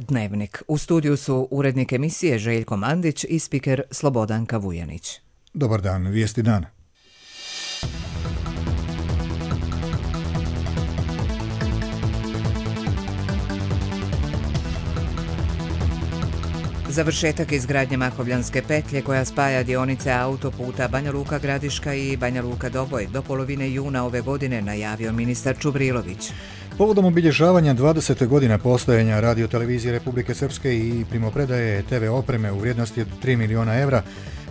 Dnevnik. U studiju su urednik emisije Željko Mandić i spiker Slobodanka Vujanić. Dobar dan, vijesti dana. Završetak izgradnje Makovljanske petlje koja spaja dionice autoputa Banja Luka Gradiška i Banja Luka Doboj do polovine juna ove godine, najavio ministar Čubrilović. Povodom obilježavanja 20. godina postojanja Radio-televizije Republike Srpske i primopredaje TV opreme u vrijednosti od 3 miliona evra,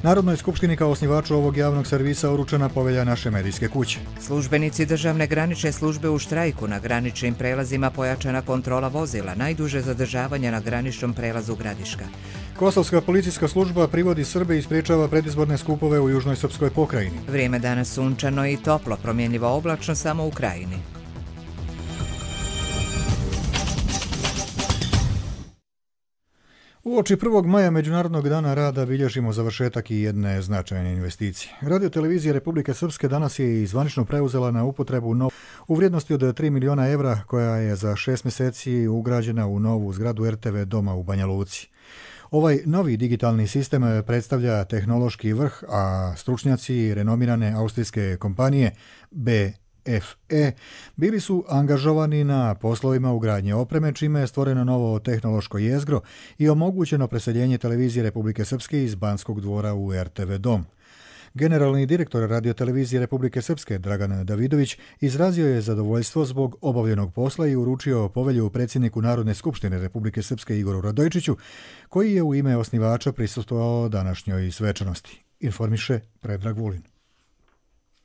Narodnoj skupštini kao osnivaču ovog javnog servisa uručena povelja naše medijske kuće. Službenici državne granične službe u štrajku, na graničnim prelazima pojačana kontrola vozila, najduže zadržavanje na graničnom prelazu Gradiška. Kosovska policijska služba privodi Srbe i sprečava predizborne skupove u južnoj srpskoj pokrajini. Vrijeme danas sunčano i toplo, promjenjivo oblačno samo u krajini. Uoči 1. maja Međunarodnog dana rada bilježimo završetak i jedne značajne investicije. Radio-televizija Republike Srpske danas je i zvanično preuzela na upotrebu u vrijednosti od 3 miliona evra koja je za 6 mjeseci ugrađena u novu zgradu RTV doma u Banja Luci. Ovaj novi digitalni sistem predstavlja tehnološki vrh, a stručnjaci renomirane austrijske kompanije BFE bili su angažovani na poslovima ugradnje opreme, čime je stvoreno novo tehnološko jezgro i omogućeno preseljenje televizije Republike Srpske iz Banskog dvora u RTV dom. Generalni direktor Radio-televizije Republike Srpske Dragan Davidović izrazio je zadovoljstvo zbog obavljenog posla i uručio povelju predsjedniku Narodne skupštine Republike Srpske Igoru Radojičiću, koji je u ime osnivača prisustvovao današnjoj svečanosti. Informiše Predrag Vulin.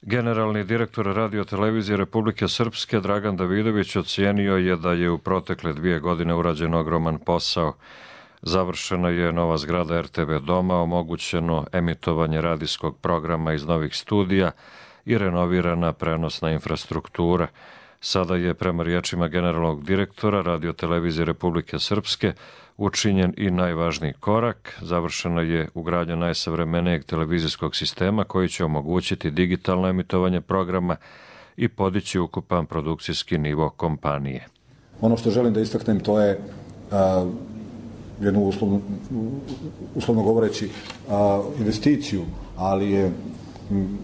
Generalni direktor Radio-televizije Republike Srpske Dragan Davidović ocijenio je da je u protekle 2 godine urađen ogroman posao. Završena je nova zgrada RTV doma, omogućeno emitovanje radijskog programa iz novih studija i renovirana prenosna infrastruktura. Sada je, prema riječima generalnog direktora Radio-televizije Republike Srpske, učinjen i najvažniji korak. Završena je ugradnja najsavremenijeg televizijskog sistema koji će omogućiti digitalno emitovanje programa i podići ukupan produkcijski nivo kompanije. Ono što želim da istaknem to je jednu uslovno govoreći investiciju, ali je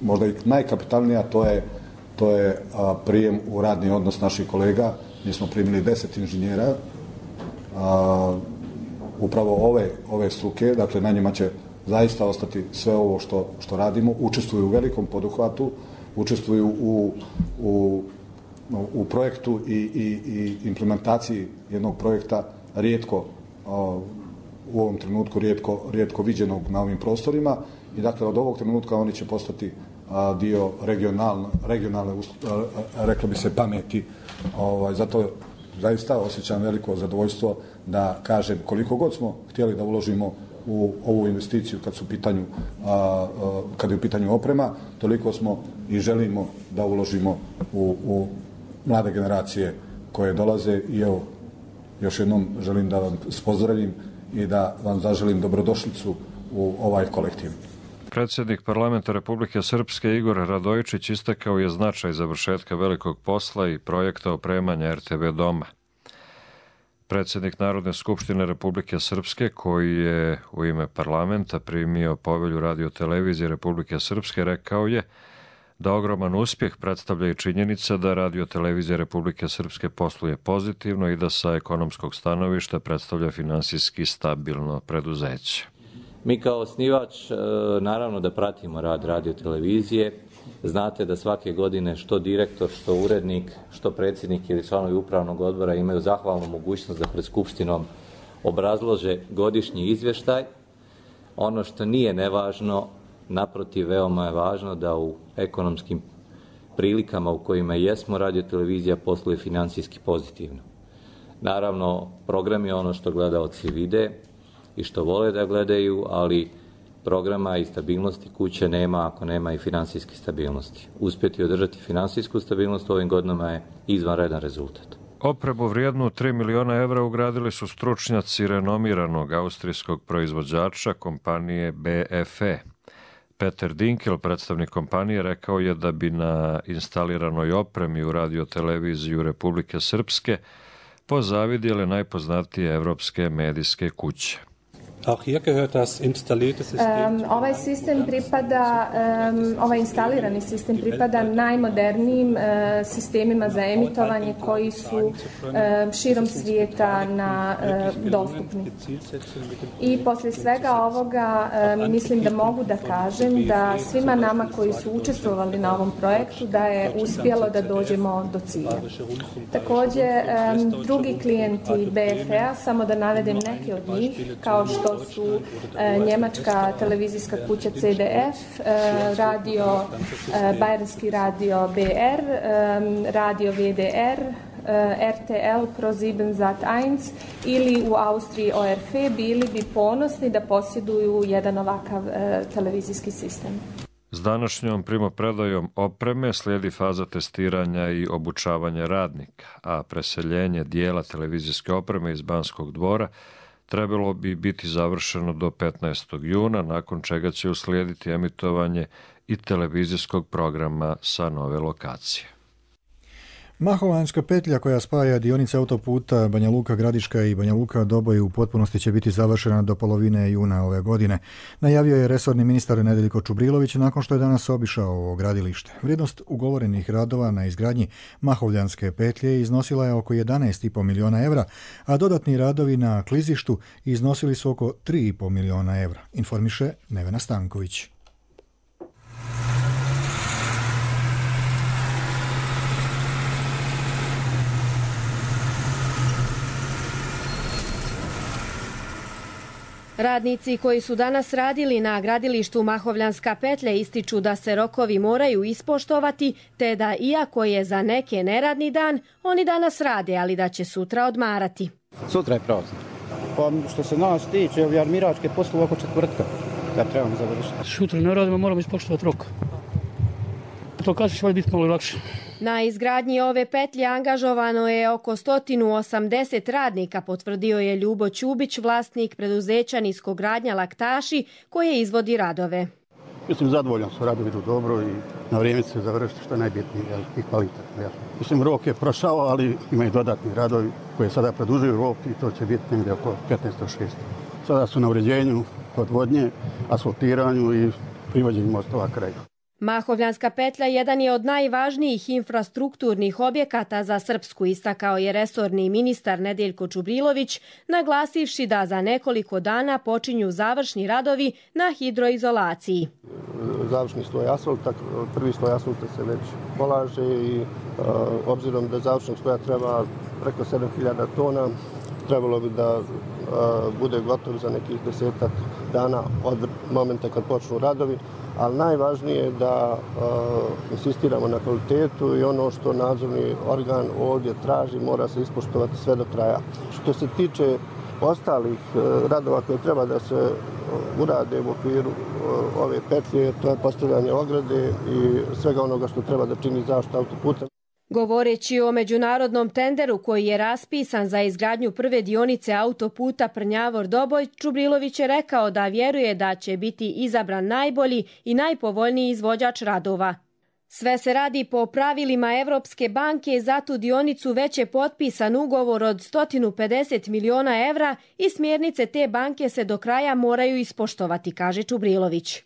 možda i najkapitalnija, to je prijem u radni odnos naših kolega. Mi smo primili 10 inženjera upravo ove struke, dakle na njima će zaista ostati sve ovo što radimo. Učestvuju u velikom poduhvatu, učestvuju u projektu i implementaciji jednog projekta rijetko u ovom trenutku rijetko viđenog na ovim prostorima i dakle od ovog trenutka oni će postati dio regionalne reklo bi se pameti. Zato zaista osjećam veliko zadovoljstvo da kažem koliko god smo htjeli da uložimo u ovu investiciju kad je u pitanju oprema, toliko smo i želimo da uložimo u mlade generacije koje dolaze i evo još jednom želim da vam pozdravim i da vam zaželim dobrodošlicu u ovaj kolektiv. Predsjednik parlamenta Republike Srpske Igor Radojičić istakao je značaj završetka velikog posla i projekta opremanja RTV doma. Predsjednik Narodne skupštine Republike Srpske, koji je u ime parlamenta primio povelju Radio-televizije Republike Srpske, rekao je da ogroman uspjeh predstavlja i činjenica da Radio-televizija Republike Srpske posluje pozitivno i da sa ekonomskog stanovišta predstavlja finansijski stabilno preduzeće. Mi kao osnivač naravno da pratimo rad Radio-televizije. Znate da svake godine što direktor, što urednik, što predsjednik ili članovi upravnog odbora imaju zahvalnu mogućnost da pred skupštinom obrazlože godišnji izvještaj. Ono što nije nevažno, naprotiv, veoma je važno da u ekonomskim prilikama u kojima jesmo Radio-televizija posluje financijski pozitivno. Naravno, program je ono što gledaoci vide i što vole da gledaju, ali programa i stabilnosti kuće nema ako nema i financijske stabilnosti. Uspjeti održati financijsku stabilnost u ovim godinama je izvanredan rezultat. Opremu vrijednu 3 miliona evra ugradili su stručnjaci renomiranog austrijskog proizvođača kompanije BFE. Peter Dinkel, predstavnik kompanije, rekao je da bi na instaliranoj opremi u Radio-televiziju Republike Srpske pozavidjele najpoznatije evropske medijske kuće. Ovaj sistem pripada, ovaj instalirani sistem pripada najmodernijim sistemima za emitovanje koji su širom svijeta dostupni. I poslije svega ovoga mislim da mogu da kažem da svima nama koji su učestvovali na ovom projektu da je uspjelo da dođemo do cilja. Također drugi klijenti BFE-a, samo da navedem neke od njih, kao što su njemačka televizijska kuća CDF, Bayernski radio BR, radio VDR, RTL Pro7 Sat1 ili u Austriji ORF bili bi ponosni da posjeduju jedan ovakav televizijski sistem. S današnjom primopredajom opreme slijedi faza testiranja i obučavanja radnika, a preseljenje dijela televizijske opreme iz Banskog dvora trebalo bi biti završeno do 15. juna, nakon čega će uslijediti emitovanje i televizijskog programa sa nove lokacije. Mahovanjska petlja koja spaja dionice autoputa Banja Luka Gradiška i Banja Luka Doboj u potpunosti će biti završena do polovine juna ove godine. Najavio je resorni ministar Nedeljko Čubrilović nakon što je danas obišao ovo gradilište. Vrijednost ugovorenih radova na izgradnji Mahovljanske petlje iznosila je oko 11,5 miliona evra, a dodatni radovi na klizištu iznosili su oko 3,5 miliona evra, informiše Nevena Stanković. Radnici koji su danas radili na gradilištu Mahovljanska petlja ističu da se rokovi moraju ispoštovati, te da iako je za neke neradni dan, oni danas rade, ali da će sutra odmarati. Sutra je praznik. Pa što se nas tiče, armiračke poslove oko četvrtka, da trebamo završiti. Sutra ne radimo, moramo ispoštovati rok. To kasnije će biti malo lakše. Na izgradnji ove petlje angažovano je oko 180 radnika, potvrdio je Ljubo Ćubić, vlasnik preduzeća Niskogradnja Laktaši, koje izvodi radove. Mislim, zadovoljan su, radovi idu dobro i na vrijeme se završiti, što je najbitnije i kvalitetno. Mislim, rok je prošao, ali imaju dodatni radovi koje sada produžuju rok i to će biti negdje oko 15.6. Sada su na uređenju odvodnje, asfaltiranju i privođenju mostova kraju. Mahovljanska petlja jedan je od najvažnijih infrastrukturnih objekata za Srpsku, istakao je resorni ministar Nedeljko Čubrilović, naglasivši da za nekoliko dana počinju završni radovi na hidroizolaciji. Završni sloj asfalta, prvi sloj asfalta se već polaže i obzirom da završnog sloja treba preko 7000 tona, trebalo bi da bude gotov za nekih 10 dana od momenta kad počnu radovi, ali najvažnije je da insistiramo na kvalitetu i ono što nadzorni organ ovdje traži mora se ispoštovati sve do kraja. Što se tiče ostalih radova koje treba da se urade u okviru ove petlje, to je postavljanje ograde i svega onoga što treba da čini zaštitu autoputa. Govoreći o međunarodnom tenderu koji je raspisan za izgradnju prve dionice autoputa Prnjavor-Doboj, Čubrilović je rekao da vjeruje da će biti izabran najbolji i najpovoljniji izvođač radova. Sve se radi po pravilima Evropske banke, za tu dionicu već je potpisan ugovor od 150 miliona evra i smjernice te banke se do kraja moraju ispoštovati, kaže Čubrilović.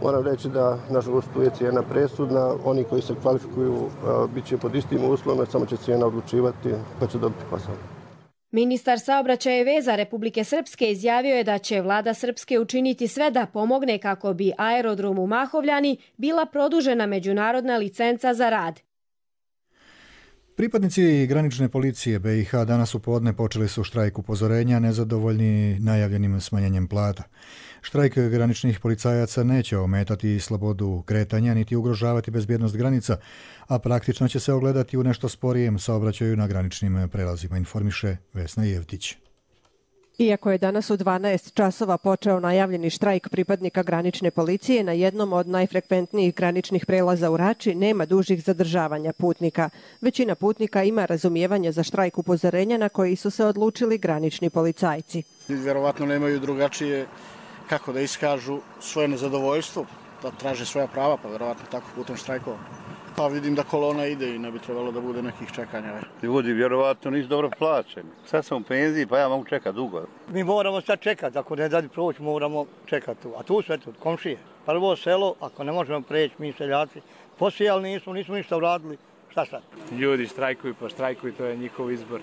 Moram reći da, nažalost, tu je cijena presudna. Oni koji se kvalifikuju bit će pod istim uslovima, samo će cijena odlučivati pa će dobiti posao. Ministar saobraćaja i veza Republike Srpske izjavio je da će vlada Srpske učiniti sve da pomogne kako bi aerodrom u Mahovljani bila produžena međunarodna licenca za rad. Pripadnici granične policije BiH danas u podne počeli su štrajk upozorenja nezadovoljni najavljenim smanjenjem plata. Štrajk graničnih policajaca neće ometati slobodu kretanja niti ugrožavati bezbjednost granica, a praktično će se ogledati u nešto sporijem saobraćaju na graničnim prelazima, informiše Vesna Jevtić. Iako je danas u 12 časova počeo najavljeni štrajk pripadnika granične policije, na jednom od najfrekventnijih graničnih prelaza u Rači nema dužih zadržavanja putnika. Većina putnika ima razumijevanje za štrajk upozorenja na koji su se odlučili granični policajci. Vjerovatno nemaju drugačije kako da iskažu svoje nezadovoljstvo, da traže svoja prava, pa vjerovatno tako putem štrajkova. Pa vidim da kolona ide i ne bi trebalo da bude nekih čekanja. Ljudi vjerovatno nisu dobro plaćeni. Sad sam u penziji pa ja mogu čekati dugo. Mi moramo sad čekati, ako ne da proći moramo čekati tu. A tu sve tu, komšije. Prvo selo, ako ne možemo preći, mi seljaci, posijali nismo ništa uradili, šta sad? Ljudi štrajkuju pa štrajkuju, to je njihov izbor.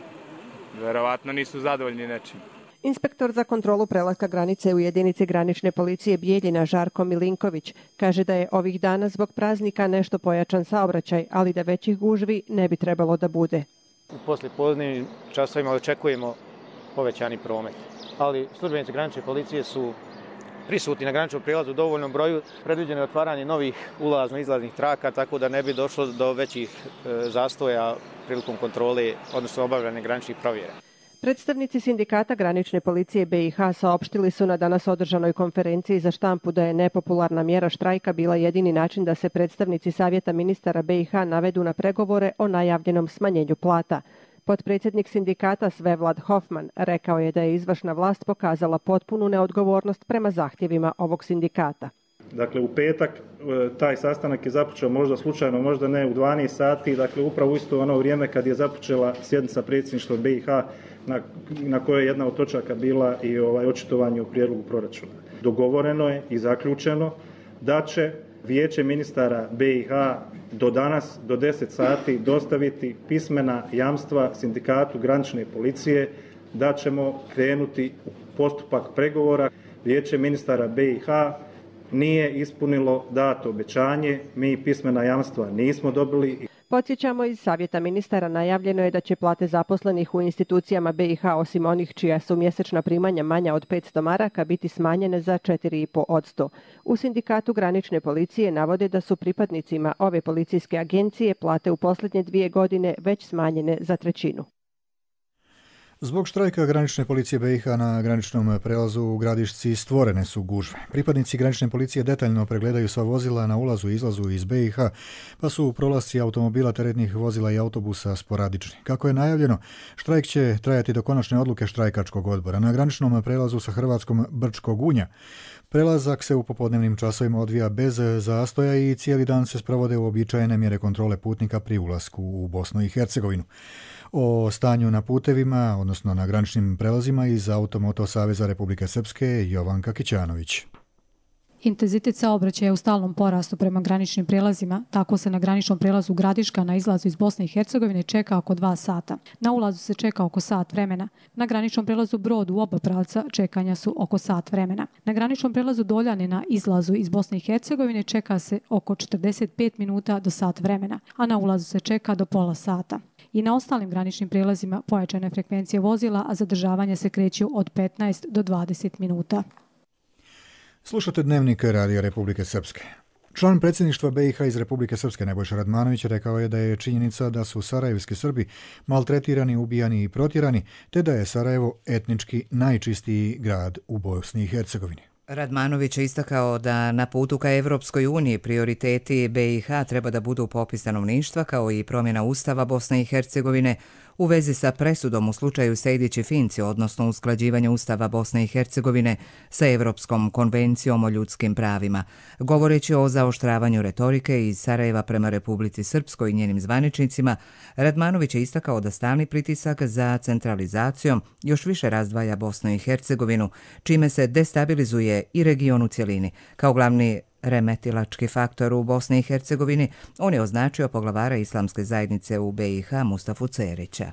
Vjerovatno nisu zadovoljni nečim. Inspektor za kontrolu prelaska granice u jedinici granične policije Bijeljina Žarko Milinković kaže da je ovih dana zbog praznika nešto pojačan saobraćaj, ali da većih gužvi ne bi trebalo da bude. U poslijepodnevnim časovima očekujemo povećani promet, ali službenici granične policije su prisutni na graničnom prijelazu u dovoljnom broju, predviđeno je otvaranje novih ulazno-izlaznih traka, tako da ne bi došlo do većih zastoja prilikom kontrole, odnosno obavljanja graničnih provjera. Predstavnici sindikata granične policije BiH saopštili su na danas održanoj konferenciji za štampu da je nepopularna mjera štrajka bila jedini način da se predstavnici Savjeta ministara BiH navedu na pregovore o najavljenom smanjenju plata. Potpredsjednik sindikata Svevlad Hofman rekao je da je izvršna vlast pokazala potpunu neodgovornost prema zahtjevima ovog sindikata. Dakle, u petak taj sastanak je započeo možda slučajno, možda ne u 12 sati, dakle upravo isto ono vrijeme kad je započela sjednica predsjedništva BiH na kojoj je jedna od točaka bila i očitovanje o prijedlogu proračuna. Dogovoreno je i zaključeno da će Vijeće ministara BiH do danas, do 10 sati, dostaviti pismena jamstva sindikatu granične policije da ćemo krenuti u postupak pregovora. Vijeće ministara BiH nije ispunilo dato obećanje, mi pismena jamstva nismo dobili. Podsjećamo, iz Savjeta ministara najavljeno je da će plate zaposlenih u institucijama BiH, osim onih čija su mjesečna primanja manja od 500 maraka, biti smanjene za 4,5%. U sindikatu granične policije navode da su pripadnicima ove policijske agencije plate u posljednje 2 godine već smanjene za 1/3. Zbog štrajka granične policije BiH na graničnom prelazu u Gradišci stvorene su gužve. Pripadnici granične policije detaljno pregledaju sva vozila na ulazu i izlazu iz BiH, pa su prolasci automobila, teretnih vozila i autobusa sporadični. Kako je najavljeno, štrajk će trajati do konačne odluke štrajkačkog odbora. Na graničnom prelazu sa Hrvatskom Brčkog Unja prelazak se u popodnevnim časovima odvija bez zastoja i cijeli dan se sprovode uobičajene mjere kontrole putnika pri ulasku u Bosnu i Hercegovinu. O stanju na putevima, odnosno na graničnim prelazima, iz Automoto Saveza Republike Srpske Jovanka Kićanović. Intenzitet saobraćaja je u stalnom porastu prema graničnim prijelazima, tako se na graničnom prijelazu Gradiška na izlazu iz Bosne i Hercegovine čeka oko 2 sata. Na ulazu se čeka oko sat vremena. Na graničnom prijelazu Brod u oba pravca čekanja su oko sat vremena. Na graničnom prijelazu Doljane na izlazu iz Bosne i Hercegovine čeka se oko 45 minuta do sat vremena, a na ulazu se čeka do pola sata. I na ostalim graničnim prijelazima pojačane frekvencije vozila, a zadržavanje se kreću od 15 do 20 minuta. Slušate Dnevnik Radija Republike Srpske. Član predsjedništva BiH iz Republike Srpske Nebojša Radmanović rekao je da je činjenica da su sarajevski Srbi maltretirani, ubijani i protjerani, te da je Sarajevo etnički najčistiji grad u Bosni i Hercegovini. Radmanović je istakao da na putu ka Evropskoj uniji prioriteti BiH treba da budu popis stanovništva kao i promjena Ustava Bosne i Hercegovine u vezi sa presudom u slučaju Sejdić i Finci, odnosno usklađivanje Ustava Bosne i Hercegovine sa Evropskom konvencijom o ljudskim pravima. Govoreći o zaoštravanju retorike iz Sarajeva prema Republici Srpskoj i njenim zvaničnicima, Radmanović je istakao da stalni pritisak za centralizacijom još više razdvaja Bosnu i Hercegovinu, čime se destabilizuje i region u cjelini. Kao glavni remetilački faktor u Bosni i Hercegovini, on je označio poglavara islamske zajednice u BiH Mustafu Cerića.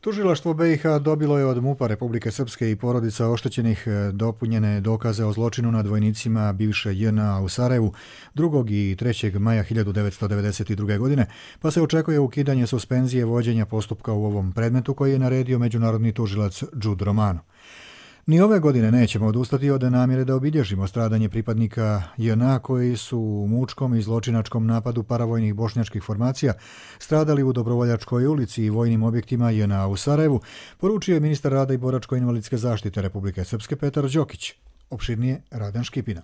Tužilaštvo BiH dobilo je od MUP-a Republike Srpske i porodica oštećenih dopunjene dokaze o zločinu nad vojnicima bivše JNA u Sarajevu 2. i 3. maja 1992. godine, pa se očekuje ukidanje suspenzije vođenja postupka u ovom predmetu koji je naredio međunarodni tužilac Đud Romano. Ni ove godine nećemo odustati od namjere da obilježimo stradanje pripadnika JNA koji su u mučkom i zločinačkom napadu paravojnih bošnjačkih formacija stradali u Dobrovoljačkoj ulici i vojnim objektima JNA u Sarajevu, poručio je ministar rada i boračko-invalidske zaštite Republike Srpske Petar Đokić. Opširnije Radan Škipina.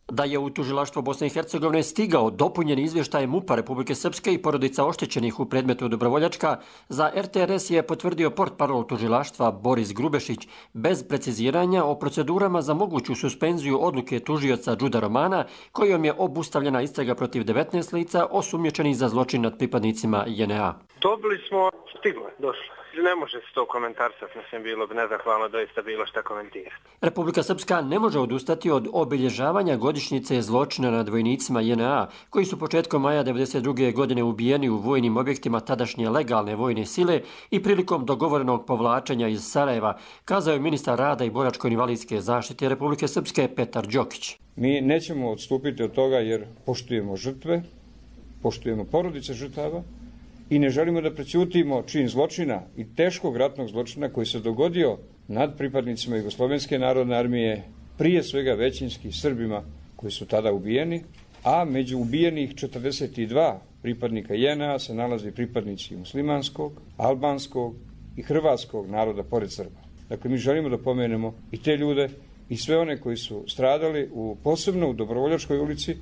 Da je u tužilaštvo Bosne i Hercegovine stigao dopunjen izvještaj MUP-a Republike Srpske i porodica oštećenih u predmetu Dobrovoljačka, za RTRS je potvrdio portparol tužilaštva Boris Grubešić bez preciziranja o procedurama za moguću suspenziju odluke tužioca Džuda Romana, kojom je obustavljena istraga protiv 19 lica osumnjičenih za zločin nad pripadnicima JNA. Dobili smo, stiglo je, došlo. Ne može se to komentarsati, mislim, bilo bi nezahvalno doista bilo šta komentirati. Republika Srpska ne može odustati od obilježavanja godišnjice zločina nad vojnicima JNA, koji su početkom maja 1992. godine ubijeni u vojnim objektima tadašnje legalne vojne sile i prilikom dogovorenog povlačenja iz Sarajeva, kazao je ministar rada i boračko-invalidske zaštite Republike Srpske Petar Đokić. Mi nećemo odstupiti od toga jer poštujemo žrtve, poštujemo porodice žrtava, i ne želimo da prećutimo čin zločina i teškog ratnog zločina koji se dogodio nad pripadnicima Jugoslovenske narodne armije, prije svega većinski Srbima koji su tada ubijeni, a među ubijenih 42 pripadnika JNA se nalazi pripadnici muslimanskog, albanskog i hrvatskog naroda pored Srba. Dakle, mi želimo da pomenemo i te ljude i sve one koji su stradali posebno u Dobrovoljačkoj ulici,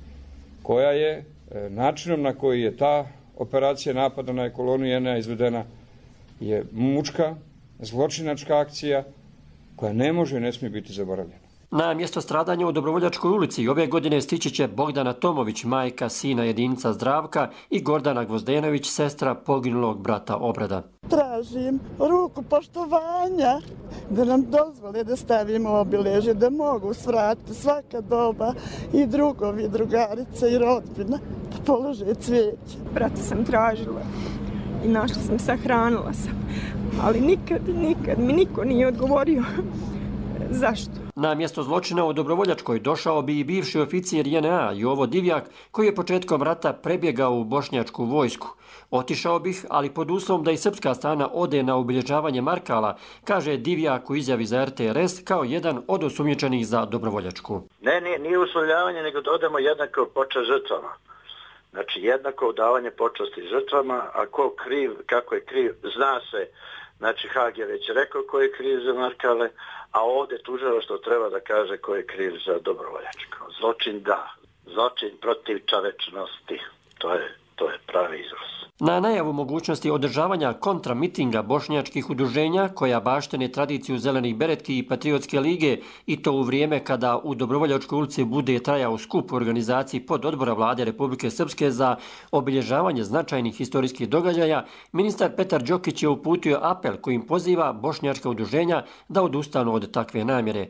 koja je načinom na koji je ta operacija napada na kolonu JNA izvedena je mučka, zločinačka akcija koja ne može i ne smije biti zaboravljena. Na mjesto stradanja u Dobrovoljačkoj ulici ove godine stići će Bogdana Tomović, majka sina jedinca Zdravka, i Gordana Gvozdenović, sestra poginulog brata Obrada. Tražim ruku poštovanja da nam dozvole da stavimo obilježje, da mogu svratiti svaka doba i drugovi, drugarice i rodbina da polože cvijeće. Brata sam tražila i našla sam, sahranila sam, ali nikad mi niko nije odgovorio zašto. Na mjesto zločina u Dobrovoljačkoj došao bi i bivši oficir JNA Jovo Divjak, koji je početkom rata prebjegao u bošnjačku vojsku. Otišao bih, ali pod uslovom da i srpska strana ode na obilježavanje Markala, kaže Divjak u izjavi za RTRS kao jedan od osumnjičenih za Dobrovoljačku. Nije uslovljavanje, nego da odemo jednako počast žrtvama. Znači, jednako davanje počasti žrtvama, a ko kriv, kako je kriv, zna se. Znači, Hag je već rekao ko je kriv za Markale, a ovdje tužilaštvo treba da kaže ko je kriv za Dobrovoljačko. Zločin da, zločin protiv čovečnosti, to je pravi izraz. Na najavu mogućnosti održavanja kontramitinga bošnjačkih udruženja, koja baštine tradiciju Zelenih beretki i Patriotske lige, i to u vrijeme kada u Dobrovoljačkoj ulici bude trajao skup u organizaciji pododbora vlade Republike Srpske za obilježavanje značajnih historijskih događaja, ministar Petar Đokić je uputio apel kojim poziva bošnjačka udruženja da odustanu od takve namjere.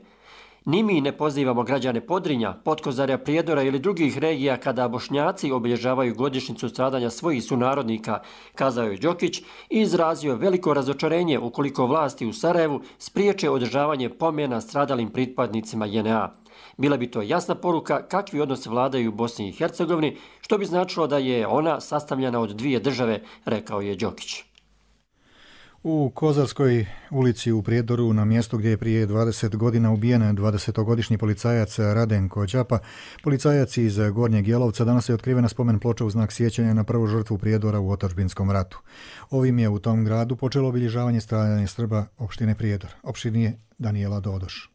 Ni mi ne pozivamo građane Podrinja, Potkozarja, Prijedora ili drugih regija kada Bošnjaci obilježavaju godišnjicu stradanja svojih sunarodnika, kazao je Đokić i izrazio veliko razočarenje ukoliko vlasti u Sarajevu spriječe održavanje pomena stradalim pripadnicima JNA. Bila bi to jasna poruka kakvi odnosi vladaju u Bosni i Hercegovini, što bi značilo da je ona sastavljena od dvije države, rekao je Đokić. U Kozarskoj ulici u Prijedoru, na mjestu gdje je prije 20 godina ubijen 20-godišnji policajac Radenko Đapa, policajac iz Gornjeg Jelovca, danas je otkrivena spomen ploča u znak sjećanja na prvu žrtvu Prijedora u otadžbinskom ratu. Ovim je u tom gradu počelo obilježavanje stradanja Srba opštine Prijedor. Opštinije Danijela Dodoš.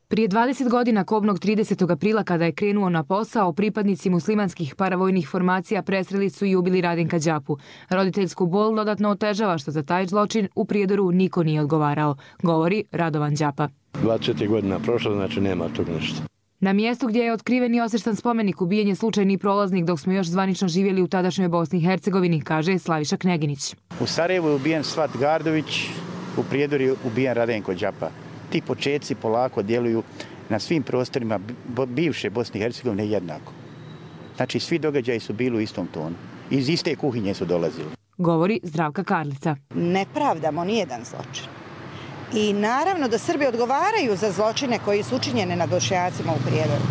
Prije 20 godina, kobnog 30. aprila, kada je krenuo na posao, pripadnici muslimanskih paravojnih formacija presreli su i ubili Radenka Đapu. Roditeljsku bol dodatno otežava što za taj zločin u Prijedoru niko nije odgovarao, govori Radovan Đapa. 20 godina prošlo, znači nema tog ništa. Na mjestu gdje je otkriven i osještan spomenik ubijen je slučajni prolaznik dok smo još zvanično živjeli u tadašnjoj Bosni i Hercegovini, kaže Slaviša Kneginić. U Sarajevu je ubijen Svat Gardović, u Prijedoru je ubijen Radenko Đapa. Ti početci polako djeluju na svim prostorima bivše Bosne i Hercegovine jednako. Znači, svi događaji su bili u istom tonu. Iz iste kuhinje su dolazili. Govori Zdravka Karlica. Ne pravdamo nijedan zločin. I naravno da Srbi odgovaraju za zločine koji su učinjene nad Bošnjacima u Prijedoru.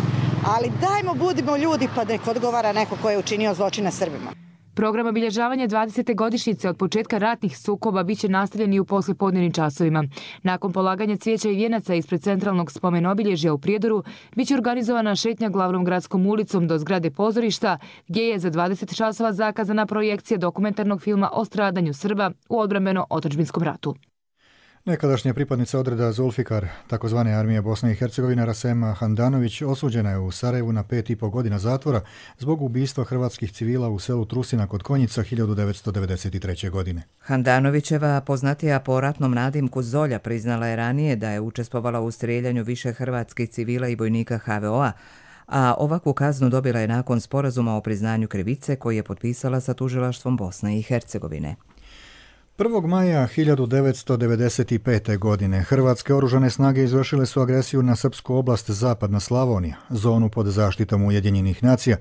Ali dajmo, budimo ljudi, pa nek odgovara neko ko je učinio zločine Srbima. Program obilježavanja 20. godišnjice od početka ratnih sukoba biće nastavljen i u poslijepodnevnim časovima. Nakon polaganja cvijeća i vijenaca ispred centralnog spomen obilježja u Prijedoru biće organizovana šetnja glavnom gradskom ulicom do zgrade pozorišta, gdje je za 20 časova zakazana projekcija dokumentarnog filma o stradanju Srba u odbrambeno-otadžbinskom ratu. Nekadašnja pripadnica odreda Zulfikar, takozvane armije Bosne i Hercegovine, Rasema Handanović, osuđena je u Sarajevu na 5,5 godina zatvora zbog ubistva hrvatskih civila u selu Trusina kod Konjica 1993. godine. Handanovićeva, poznatija po ratnom nadimku Zolja, priznala je ranije da je učestvovala u strijeljanju više hrvatskih civila i vojnika HVO-a, a ovakvu kaznu dobila je nakon sporazuma o priznanju krivice koji je potpisala sa tužilaštvom Bosne i Hercegovine. 1. maja 1995. godine hrvatske oružane snage izvršile su agresiju na srpsku oblast Zapadna Slavonija, zonu pod zaštitom Ujedinjenih nacija,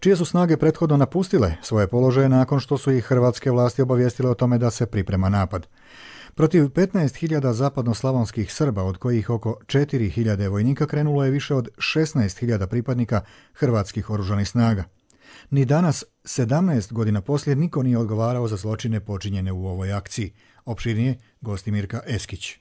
čije su snage prethodno napustile svoje položaje nakon što su ih hrvatske vlasti obavijestile o tome da se priprema napad. Protiv 15.000 zapadnoslavonskih Srba, od kojih oko 4.000 vojnika, krenulo je više od 16.000 pripadnika hrvatskih oružanih snaga. Ni danas, 17 godina poslije, niko nije odgovarao za zločine počinjene u ovoj akciji. Opširnije, Gostimirka Eskić.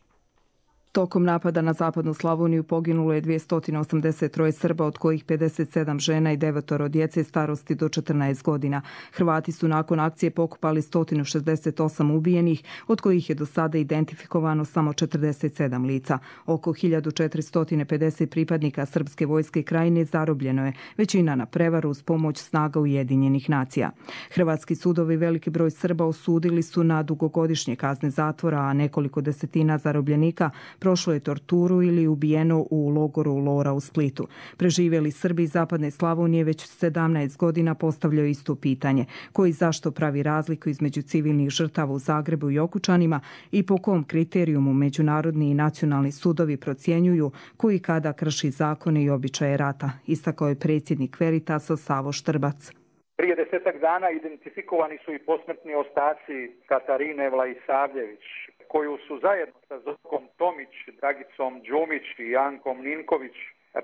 Tokom napada na Zapadnu Slavoniju poginulo je 283 Srba, od kojih 57 žena i 9 djece starosti do 14 godina. Hrvati su nakon akcije pokupali 168 ubijenih, od kojih je do sada identifikovano samo 47 lica. Oko 1450 pripadnika srpske vojske krajine zarobljeno je, većina na prevaru uz pomoć snaga Ujedinjenih nacija. Hrvatski sudovi veliki broj Srba osudili su na dugogodišnje kazne zatvora, a nekoliko desetina zarobljenika prošlo je torturu ili ubijeno u logoru Lora u Splitu. Preživjeli Srbi iz Zapadne Slavonije već 17 godina postavljaju isto pitanje: koji zašto pravi razliku između civilnih žrtava u Zagrebu i Okučanima i po kom kriterijumu međunarodni i nacionalni sudovi procjenjuju koji kada krši zakone i običaje rata, istakao je predsjednik Veritasa Savo Štrbac. Prije 10 dana identifikovani su i posmrtni ostaci Katarine Vlaisavljević, koju su zajedno sa Zorkom Tomić, Dragicom Đumić i Jankom Ninković,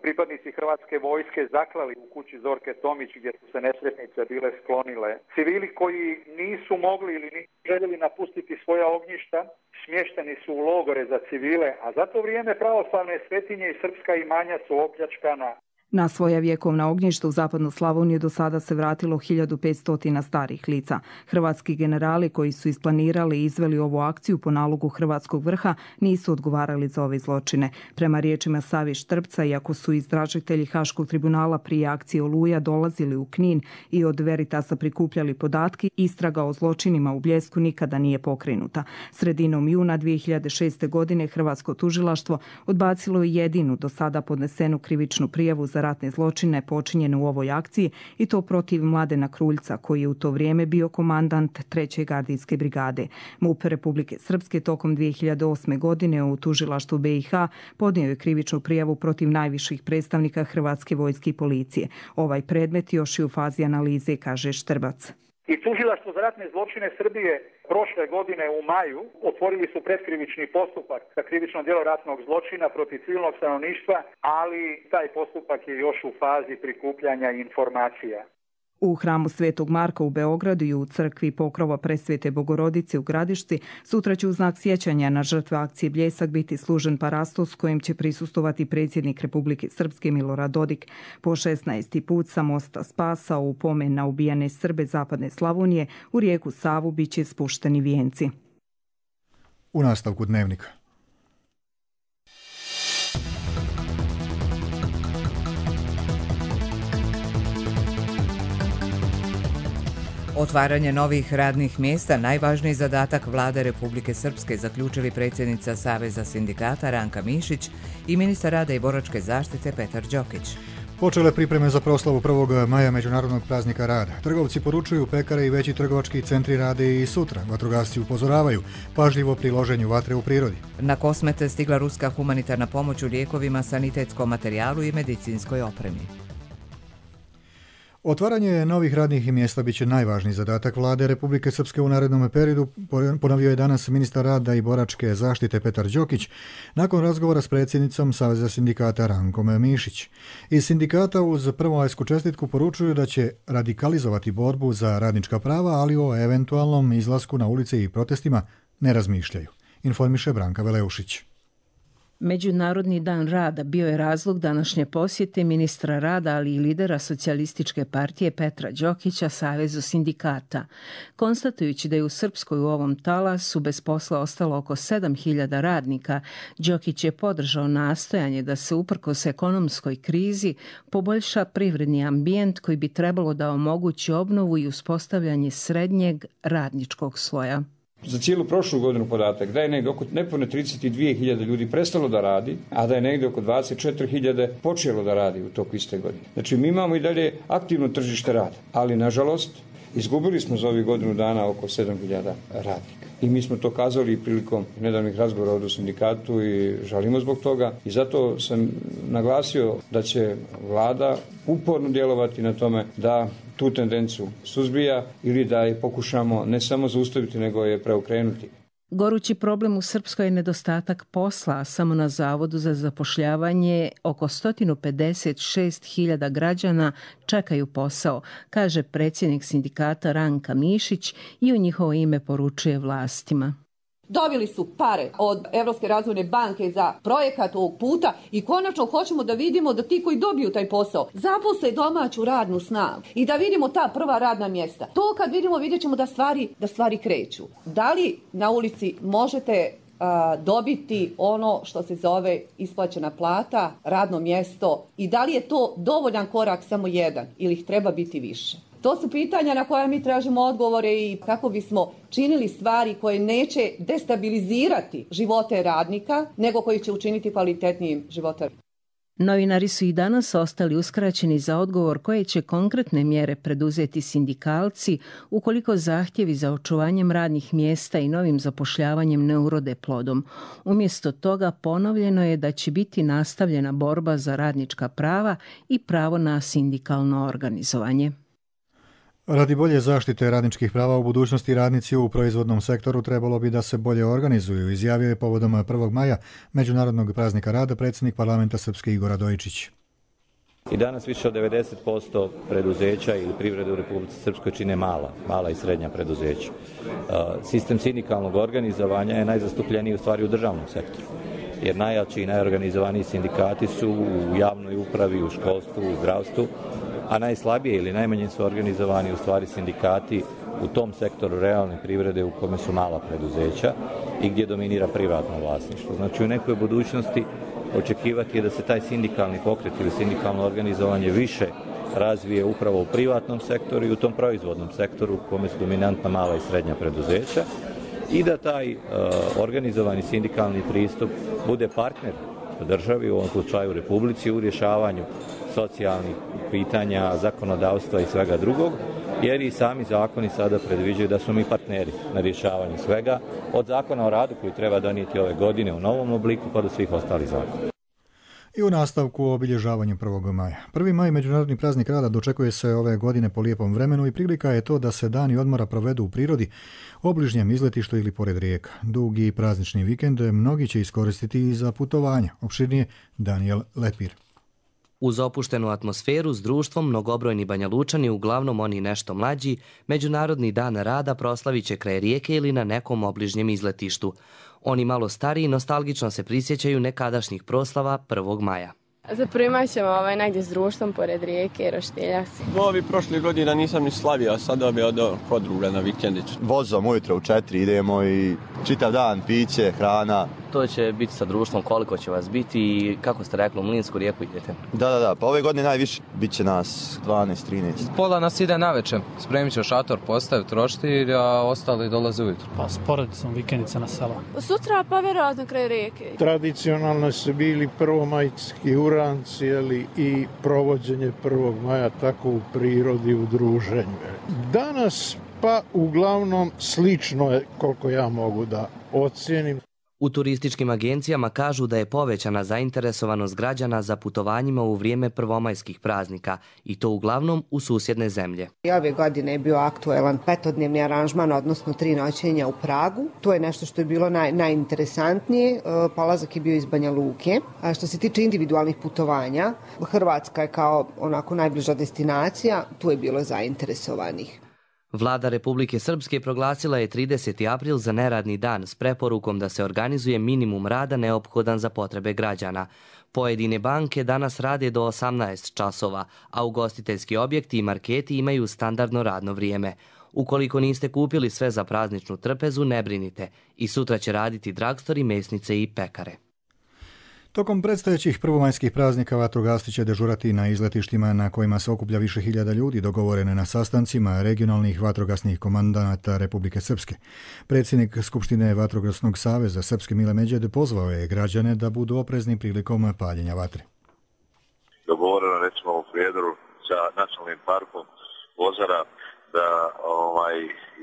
pripadnici Hrvatske vojske, zaklali u kući Zorke Tomić, gdje su se nesretnice bile sklonile. Civili koji nisu mogli ili nisu željeli napustiti svoja ognjišta, smješteni su u logore za civile, a za to vrijeme pravoslavne svetinje i srpska imanja su opljačkana. Na svoja vjekovna ognjišta u Zapadnu Slavoniju do sada se vratilo 1500 starih lica. Hrvatski generali koji su isplanirali i izveli ovu akciju po nalogu hrvatskog vrha nisu odgovarali za ove zločine. Prema riječima Savi Štrbca, iako su istražitelji Haškog tribunala prije akcije Oluja dolazili u Knin i od Veritasa prikupljali podatke, istraga o zločinima u Bljesku nikada nije pokrenuta. Sredinom juna 2006. godine hrvatsko tužilaštvo odbacilo je jedinu do sada podnesenu krivičnu prijavu za ratne zločine počinjene u ovoj akciji, i to protiv Mladena Kruljca, koji je u to vrijeme bio komandant 3. gardijske brigade. MUP Republike Srpske tokom 2008. godine u tužilaštvu BiH podnio je krivičnu prijavu protiv najviših predstavnika Hrvatske vojske i policije. Ovaj predmet još je u fazi analize, kaže Štrbac. I tužilaštvo za ratne zločine Srbije prošle godine u maju otvorili su pretkrivični postupak za krivično djelo ratnog zločina protiv civilnog stanovništva, ali taj postupak je još u fazi prikupljanja informacija. U hramu Svetog Marka u Beogradu i u crkvi Pokrova Presvete Bogorodice u Gradišci sutra će u znak sjećanja na žrtve akcije Bljesak biti služen parastos kojim će prisustovati predsjednik Republike Srpske Milorad Dodik. Po 16. put sa mosta Spasa u pomen na ubijane Srbe Zapadne Slavonije u rijeku Savu bit će spušteni vijenci. U nastavku dnevnika. Otvaranje novih radnih mjesta najvažniji zadatak Vlade Republike Srpske, zaključili predsjednica Saveza sindikata Ranka Mišić i ministar rada i boračke zaštite Petar Đokić. Počele pripreme za proslavu 1. maja Međunarodnog praznika rada. Trgovci poručuju, pekare i veći trgovački centri rade i sutra. Vatrogasci upozoravaju pažljivo pri loženju vatre u prirodi. Na Kosmete stigla ruska humanitarna pomoć u lijekovima, sanitetskom materijalu i medicinskoj opremi. Otvaranje novih radnih mjesta biće najvažniji zadatak Vlade Republike Srpske u narednom periodu, ponovio je danas ministar rada i boračke zaštite Petar Đokić nakon razgovora s predsjednicom Saveza sindikata Rankom Mišić. Iz sindikata uz prvomajsku čestitku poručuju da će radikalizovati borbu za radnička prava, ali o eventualnom izlasku na ulice i protestima ne razmišljaju, informiše Branka Veleušić. Međunarodni dan rada bio je razlog današnje posjete ministra rada, ali i lidera Socijalističke partije Petra Đokića Savezu sindikata. Konstatujući da je u Srpskoj u ovom talasu bez posla ostalo oko 7.000 radnika, Đokić je podržao nastojanje da se uprkos ekonomskoj krizi poboljša privredni ambijent koji bi trebalo da omogući obnovu i uspostavljanje srednjeg radničkog sloja. Za cijelu prošlu godinu podatak da je negdje oko nepune 32.000 ljudi prestalo da radi, a da je negdje oko 24.000 počelo da radi u toku iste godine. Znači mi imamo i dalje aktivno tržište rada, ali nažalost izgubili smo za ovih godinu dana oko 7.000 radnika. I mi smo to kazali prilikom nedavnih razgovora ovdje u sindikatu i žalimo zbog toga. I zato sam naglasio da će vlada uporno djelovati na tome da tu tendenciju suzbija ili da je pokušamo ne samo zaustaviti, nego je preokrenuti. Gorući problem u Srpskoj je nedostatak posla, a samo na Zavodu za zapošljavanje oko 156.000 građana čekaju posao, kaže predsjednik sindikata Ranka Mišić i u njihovo ime poručuje vlastima. Dobili su pare od Evropske razvojne banke za projekat ovog puta i konačno hoćemo da vidimo da ti koji dobiju taj posao zaposle domaću radnu snagu i da vidimo ta prva radna mjesta. To kad vidimo, vidjet ćemo da stvari kreću. Da li na ulici možete dobiti ono što se zove isplaćena plata, radno mjesto i da li je to dovoljan korak samo jedan ili ih treba biti više? To su pitanja na koja mi tražimo odgovore i kako bismo činili stvari koje neće destabilizirati živote radnika, nego koji će učiniti kvalitetnijim života. Novinari su i danas ostali uskraćeni za odgovor koje će konkretne mjere preduzeti sindikalci ukoliko zahtjevi za očuvanjem radnih mjesta i novim zapošljavanjem ne urode plodom. Umjesto toga ponovljeno je da će biti nastavljena borba za radnička prava i pravo na sindikalno organizovanje. Radi bolje zaštite radničkih prava u budućnosti radnici u proizvodnom sektoru trebalo bi da se bolje organizuju, izjavio je povodom 1. maja Međunarodnog praznika rada predsjednik parlamenta Srpske Igor Radojičić. I danas više od 90% preduzeća ili privrede u Republici Srpskoj čine mala i srednja preduzeća. Sistem sindikalnog organizovanja je najzastupljeniji u stvari u državnom sektoru, jer najjači i najorganizovaniji sindikati su u javnoj upravi, u školstvu, u zdravstvu, a najslabije ili najmanje su organizovani u stvari sindikati u tom sektoru realne privrede u kome su mala preduzeća i gdje dominira privatno vlasništvo. Znači u nekoj budućnosti očekivati je da se taj sindikalni pokret ili sindikalno organizovanje više razvije upravo u privatnom sektoru i u tom proizvodnom sektoru u kome su dominantna mala i srednja preduzeća i da taj organizovani sindikalni pristup bude partner državi, u ovom slučaju Republici, u rješavanju socijalnih pitanja, zakonodavstva i svega drugog, jer i sami zakoni sada predviđaju da smo mi partneri na rješavanju svega, od zakona o radu koji treba donijeti ove godine u novom obliku pa do svih ostalih zakona. I u nastavku o obilježavanju 1. maja. 1. maj, Međunarodni praznik rada, dočekuje se ove godine po lijepom vremenu i prilika je to da se dani odmora provedu u prirodi, obližnjem izletištu ili pored rijeka. Dugi praznični vikend mnogi će iskoristiti i za putovanja. Opširnije Daniel Lepir. Uz opuštenu atmosferu s društvom mnogobrojni Banjalučani, uglavnom oni nešto mlađi, Međunarodni dan rada proslavit će kraj rijeke ili na nekom obližnjem izletištu. Oni malo stariji nostalgično se prisjećaju nekadašnjih proslava 1. maja. Za 1. maj ćemo negdje s društvom pored rijeke, roštilja se. Ovi prošle godine nisam ni slavio, sada bi od podruga na vikendić. Vozom ujutro u 4 idemo i čitav dan piće, hrana. To će biti sa društvom, koliko će vas biti i kako ste rekli, u Mlinsku rijeku idete? Da, pa ove godine najviše bit će nas 12-13. Pola nas ide navečer, spremit će šator, postaviti roštilj, a ostali dolaze ujutro. Pa s porodicom vikendica na selo. Sutra pa vjerojatno kraj rijeke. Tradicionalno su bili prvomajski uranci i provođenje 1. maja tako u prirodi, u druženju. Danas pa uglavnom slično je koliko ja mogu da ocijenim. U turističkim agencijama kažu da je povećana zainteresovanost građana za putovanjima u vrijeme prvomajskih praznika i to uglavnom u susjedne zemlje. I ove godine je bio aktuelan 5-dnevni aranžman, odnosno 3 noćenja u Pragu. To je nešto što je bilo najinteresantnije. Polazak je bio iz Banja Luke. A što se tiče individualnih putovanja, Hrvatska je kao onako najbliža destinacija, tu je bilo zainteresovanih. Vlada Republike Srpske proglasila je 30. april za neradni dan s preporukom da se organizuje minimum rada neophodan za potrebe građana. Pojedine banke danas rade do 18 časova, a ugostiteljski objekti i marketi imaju standardno radno vrijeme. Ukoliko niste kupili sve za prazničnu trpezu, ne brinite. I sutra će raditi dragstori, mesnice i pekare. Tokom predstojećih prvomajskih praznika vatrogasci će dežurati na izletištima na kojima se okuplja više hiljada ljudi, dogovorene na sastancima regionalnih vatrogasnih komandanata Republike Srpske. Predsjednik Skupštine Vatrogasnog saveza Srpske Mile Međed pozvao je građane da budu oprezni prilikom paljenja vatre. Dogovoreno recimo u Prijedoru sa nacionalnim parkom Ozara da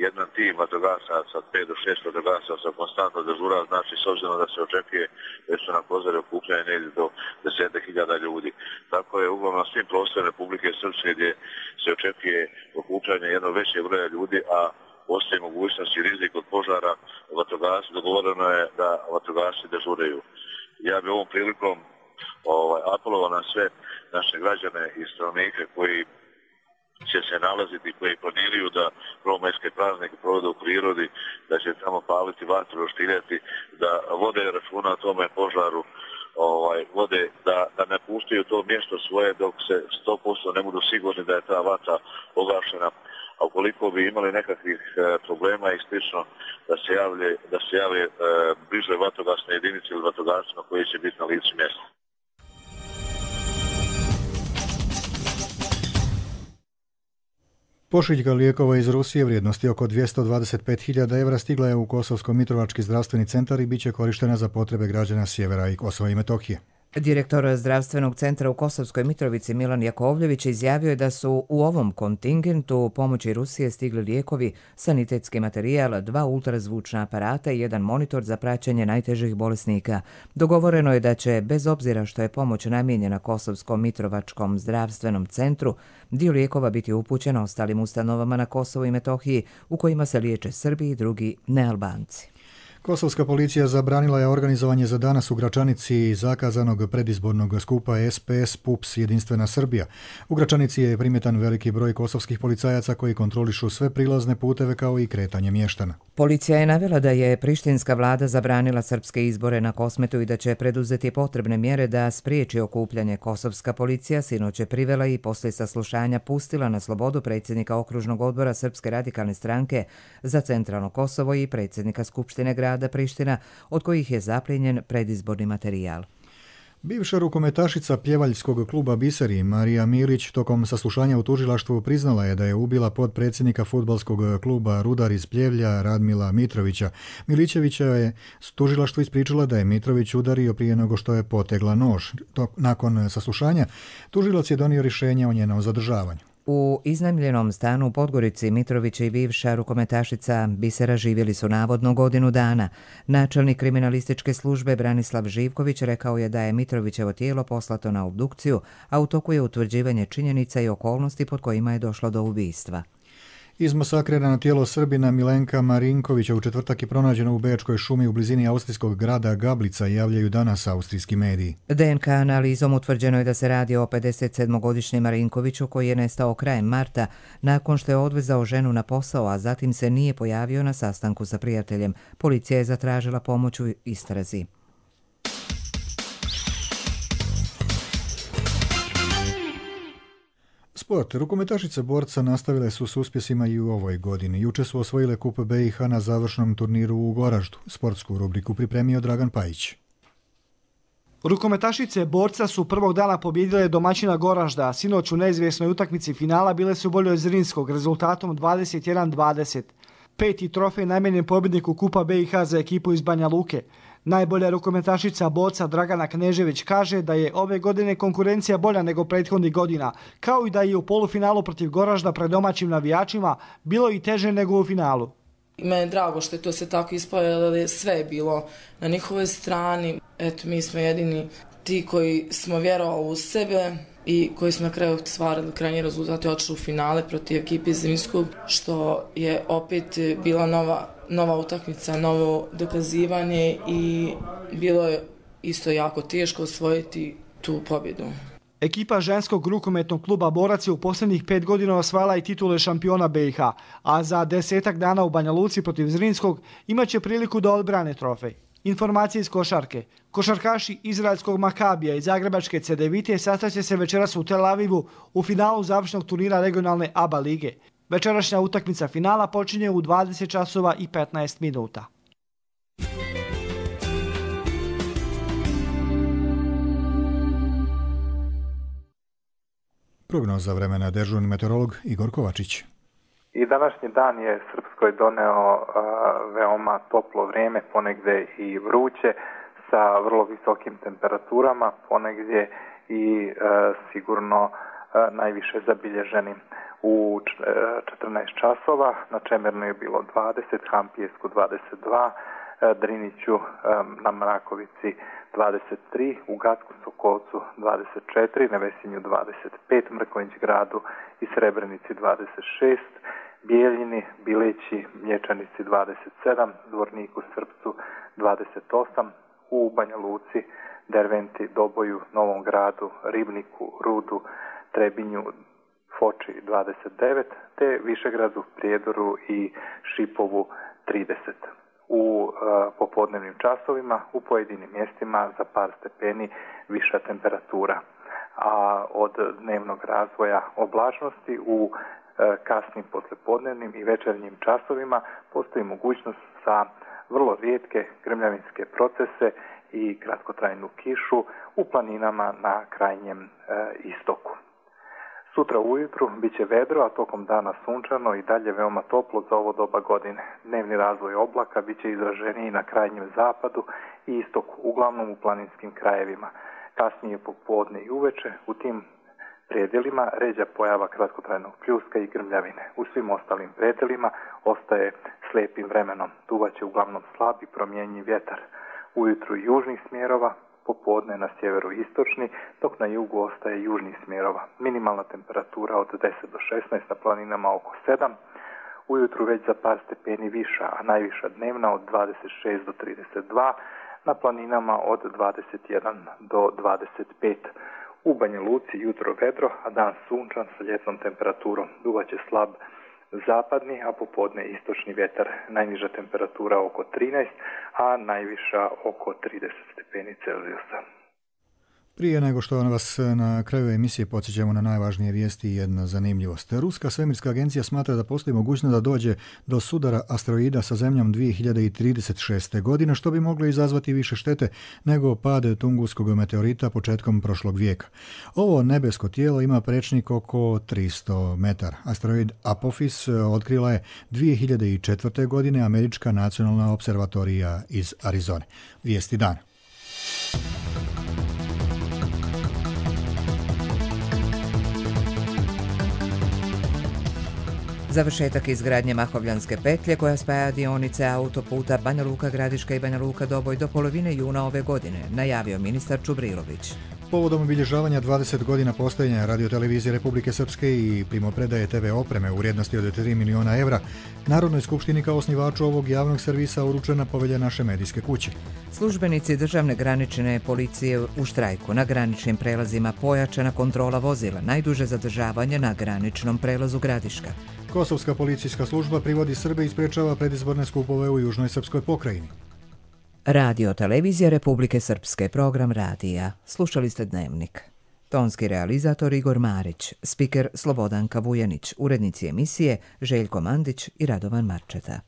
jedan tim vatrogasaca, 5 do 6 vatrogasaca konstantno dežura, znači s obzirom da se očekuje da su na Kozari okupljanje negdje do 10.000 ljudi. Tako je uglavnom na svim prostorima Republike Srpske gdje se očekuje okupljanje jednog većeg broja ljudi, a postoji mogućnost i rizik od požara, dogovoreno je da vatrogasci dežuraju. Ja bi ovom prilikom apelovao na sve naše građane i stanovnike koji će se nalaziti, koji planiruju da prvomajske praznike provode u prirodi, da će tamo paliti vatru, roštiljati, da vode računa o tome požaru, vode da ne puštaju to mjesto svoje dok se 100% ne budu sigurni da je ta vatra pogašena. A ukoliko bi imali nekakvih problema i slično, da se jave bliže vatrogasne jedinice ili vatrogascima koji će biti na licu mjesta. Pošiljka lijekova iz Rusije vrijednosti oko 225.000 evra stigla je u Kosovsko-Mitrovački zdravstveni centar i bit će korištena za potrebe građana sjevera i Kosova i Metohije. Direktor zdravstvenog centra u Kosovskoj Mitrovici Milan Jakovljević izjavio je da su u ovom kontingentu pomoći Rusije stigli lijekovi, sanitetski materijal, 2 ultrazvučna aparata i 1 monitor za praćenje najtežih bolesnika. Dogovoreno je da će, bez obzira što je pomoć namijenjena Kosovskom Mitrovačkom zdravstvenom centru, dio lijekova biti upućen ostalim ustanovama na Kosovu i Metohiji u kojima se liječe Srbi i drugi nealbanci. Kosovska policija zabranila je organizovanje za danas u Gračanici zakazanog predizbornog skupa SPS PUPS Jedinstvena Srbija. U Gračanici je primjetan veliki broj kosovskih policajaca koji kontrolišu sve prilazne puteve kao i kretanje mještana. Policija je navela da je prištinska vlada zabranila srpske izbore na Kosmetu i da će preduzeti potrebne mjere da spriječi okupljanje. Kosovska policija sinoć je privela i poslije saslušanja pustila na slobodu predsjednika okružnog odbora Srpske radikalne stranke za centralno Kosovo i predsjednika Skupštine grada Priština, od kojih je zaplijenjen predizborni materijal. Bivša rukometašica pjevaljskog kluba Biseri Marija Milić tokom saslušanja u tužilaštvu priznala je da je ubila potpredsjednika fudbalskog kluba Rudar iz Pljevlja Radmila Mitrovića. Milićevića je tužilaštvu ispričala da je Mitrović udario prije nego što je potegla nož. Nakon saslušanja tužilac je donio rješenje o njenom zadržavanju. U iznajmljenom stanu u Podgorici Mitrović i bivša rukometašica Bisera živjeli su navodno godinu dana. Načelnik kriminalističke službe Branislav Živković rekao je da je Mitrovićevo tijelo poslato na obdukciju, a u toku je utvrđivanje činjenica i okolnosti pod kojima je došlo do ubistva. Izmasakrirano tijelo Srbina Milenka Marinkovića u četvrtak je pronađeno u Bečkoj šumi u blizini austrijskog grada Gablica, javljaju danas austrijski mediji. DNK analizom utvrđeno je da se radi o 57-godišnjem Marinkoviću koji je nestao krajem marta nakon što je odvezao ženu na posao, a zatim se nije pojavio na sastanku sa prijateljem. Policija je zatražila pomoć u istrazi. Sport. Rukometašice borca nastavile su s uspjesima i u ovoj godini. Juče su osvojile kup BiH na završnom turniru u Goraždu. Sportsku rubriku pripremio Dragan Pajić. Rukometašice borca su prvog dana pobijedile domaćina Goražda, a sinoć u neizvjesnoj utakmici finala bile su bolje od Zrinskog rezultatom 21-20. 5. trofej namijenjen pobjedniku kupa BiH za ekipu iz Banja Luke. Najbolja rukometašica boca Dragana Knežević kaže da je ove godine konkurencija bolja nego prethodnih godina, kao i da je u polufinalu protiv Goražda pred domaćim navijačima bilo i teže nego u finalu. Mene je drago što je to se tako ispalo, sve je bilo na njihovoj strani. Eto, mi smo jedini ti koji smo vjerovali u sebe i koji smo na kraju stvarali krajnji rezultat i odšli u finale protiv ekipe iz Zrinskog, što je opet bila nova utakmica, novo dokazivanje i bilo je isto jako teško osvojiti tu pobjedu. Ekipa ženskog rukometnog kluba Borac je u posljednjih 5 godina osvajala i titule šampiona BiH, a za 10 dana u Banja Luci protiv Zrinskog imat će priliku da odbrane trofej. Informacije iz košarke. Košarkaši izraelskog Makabija i zagrebačke Cedevite sastaće se večeras u Tel Avivu u finalu završnog turnira regionalne ABA lige. Večerašnja utakmica finala počinje u 20 časova i 15 minuta. Prognoza vremena, dežurni meteorolog Igor Kovačić. I današnji dan je Srpskoj doneo veoma toplo vrijeme, ponegdje i vruće, sa vrlo visokim temperaturama, ponegdje i sigurno najviše zabilježenim u 14 časova. Na Čemernu je bilo 20, Hampijesku 22, Driniću na Mrakovici 23, u Gacku Sokolcu 24, Nevesinju 25, Mrkonjić Gradu i Srebrenici 26, Bijeljini, Bileći, Mlječanici 27, Dvorniku Srpcu 28, u Banja Luci, Derventi, Doboju, Novom Gradu, Ribniku, Rudu, Trebinju, Foči 29, te Višegradu, Prijedoru i Šipovu 30. U popodnevnim časovima u pojedinim mjestima za par stepeni viša temperatura, a od dnevnog razvoja oblačnosti u kasnim poslijepodnevnim i večernjim časovima postoji mogućnost za vrlo rijetke grmljavinske procese i kratkotrajnu kišu u planinama na krajnjem istoku. Sutra ujutru bit će vedro, a tokom dana sunčano i dalje veoma toplo za ovo doba godine. Dnevni razvoj oblaka bit će izraženiji na krajnjem zapadu i istoku, uglavnom u planinskim krajevima. Kasnije popodne i uveče u tim predjelima ređa pojava kratkotrajnog pljuska i grmljavine. U svim ostalim predjelima ostaje slijepim vremenom. Duvaće uglavnom slab i promjenjiv vjetar. Ujutru južnih smjerova, popodne na sjeveru istočni, dok na jugu ostaje južnih smjerova. Minimalna temperatura od 10 do 16, na planinama oko 7, ujutru već za par stepeni viša, a najviša dnevna od 26 do 32, na planinama od 21 do 25. U Banja Luci jutro vedro, a dan sunčan sa ljetnom temperaturom. Duvaće slab zapadni, a popodne istočni vjetar. Najniža temperatura oko 13, a najviša oko 30 stepeni Celzijusa. Prije nego što vas na kraju emisije podsjećamo na najvažnije vijesti i jedna zanimljivost. Ruska svemirska agencija smatra da postoji mogućnost da dođe do sudara asteroida sa Zemljom 2036. godine, što bi moglo izazvati više štete nego pad Tunguskog meteorita početkom prošlog vijeka. Ovo nebesko tijelo ima prečnik oko 300 metara. Asteroid Apophis otkrila je 2004. godine Američka nacionalna observatorija iz Arizone. Vijesti dana. Završetak izgradnje Mahovljanske petlje koja spaja dionice autoputa Banja Luka Gradiška i Banja Luka Doboj do polovine juna ove godine, najavio ministar Čubrilović. Povodom obilježavanja 20 godina postojanja radiotelevizije Republike Srpske i primopredaje TV opreme u vrijednosti od 3 miliona evra, Narodnoj skupštini kao osnivaču ovog javnog servisa uručena povelja naše medijske kuće. Službenici državne granične policije u štrajku. Na graničnim prelazima pojačana kontrola vozila, najduže zadržavanje na graničnom prelazu Gradiška. Kosovska policijska služba privodi Srbe i sprečava predizborne skupove u južnoj srpskoj pokrajini. Radio televizija Republike Srpske, program radija. Slušali ste Dnevnik. Tonski realizator Igor Marić, spiker Slobodanka Vujanić, urednici emisije Željko Mandić i Radovan Marčeta.